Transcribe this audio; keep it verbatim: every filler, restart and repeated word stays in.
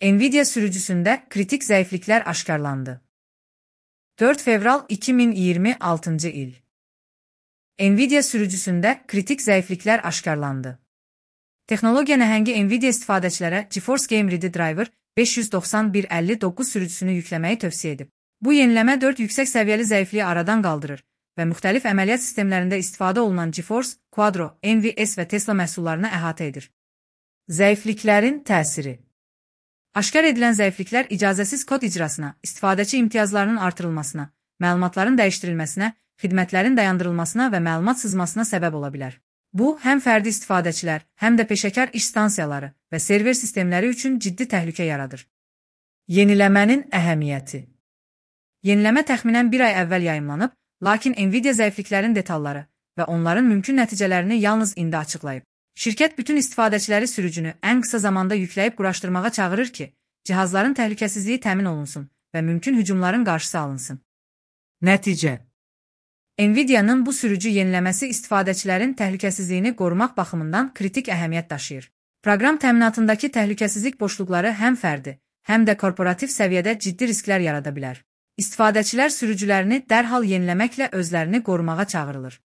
Nvidia sürücüsünde kritik zayıflıklar aşkarlandı. dört fevral iki min iyirmi altıncı il. Nvidia sürücüsünde kritik zayıflıklar aşkarlandı. Texnologiya nəhəngi Nvidia istifadəçilərə GeForce Game Ready Driver beş yüz doxsan bir əlli doqquz sürücüsünü yükləməyi tövsiyə edib. Bu yeniləmə dörd yüksək səviyyəli zəifliyi aradan qaldırır və müxtəlif əməliyyat sistemlərində istifadə olunan GeForce, Quadro, N V S və Tesla məhsullarını əhatə edir. Zəifliklərin təsiri. Aşkar edilən zəifliklər icazəsiz kod icrasına, istifadəçi imtiyazlarının artırılmasına, məlumatların dəyişdirilməsinə, xidmətlərin dayandırılmasına və məlumat sızmasına səbəb ola bilər. Bu, həm fərdi istifadəçilər, həm də peşəkar iş stansiyaları və server sistemləri üçün ciddi təhlükə yaradır. Yeniləmənin əhəmiyyəti. Yeniləmə təxminən bir ay əvvəl yayımlanıb, lakin Nvidia zəifliklərin detalları və onların mümkün nəticələrini yalnız indi açıqlayıb. Şirkət bütün istifadəçiləri sürücünü ən qısa zamanda yükləyib quraşdırmağa çağırır ki, cihazların təhlükəsizliyi təmin olunsun və mümkün hücumların qarşısı alınsın. Nəticə. Nvidia'nın bu sürücü yeniləməsi istifadəçilərin təhlükəsizliyini qorumaq baxımından kritik əhəmiyyət daşıyır. Proqram təminatındakı təhlükəsizlik boşluqları həm fərdi, həm də korporativ səviyyədə ciddi risklər yarada bilər. İstifadəçilər sürücülərini dərhal yeniləməklə özlərini qorumağa çağırılır.